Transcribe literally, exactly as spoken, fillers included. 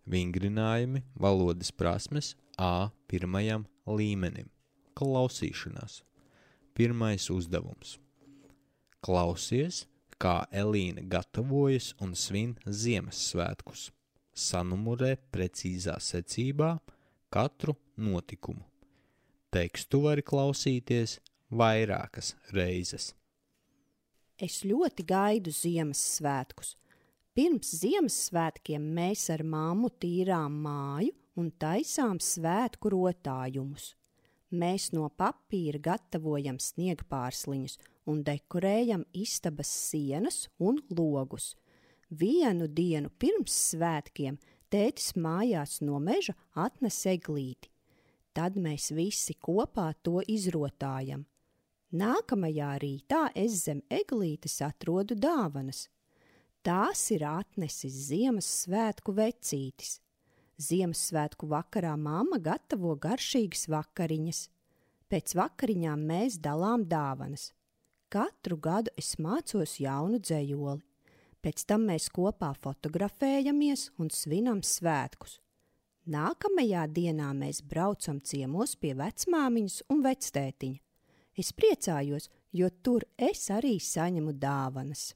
Vingrinājumi valodas prasmes A pirmajam līmenim. Klausīšanās. Pirmais uzdevums. Klausies, kā Elīna gatavojas un svin Ziemassvētkus. Sanumurē precīzā secībā katru notikumu. Tekstu vari klausīties vairākas reizes. Es ļoti gaidu Ziemassvētkus. Pirms Ziemassvētkiem mēs ar mammu tīrām māju un taisām svētku rotājumus. Mēs no papīra gatavojam sniegpārsliņus un dekorējam istabas sienas un logus. Vienu dienu pirms svētkiem tētis mājās no meža atnes eglīti. Tad mēs visi kopā to izrotājam. Nākamajā rītā es zem eglītes atrodu dāvanas. Tās ir atnesis Ziemassvētku vecītis. Ziemassvētku vakarā mamma gatavo garšīgas vakariņas. Pēc vakariņām mēs dalām dāvanas. Katru gadu es mācos jaunu dzejoli. Pēc tam mēs kopā fotografējamies un svinam svētkus. Nākamajā dienā mēs braucam ciemos pie vecmāmiņas un vectētiņa. Es priecājos, jo tur es arī saņemu dāvanas.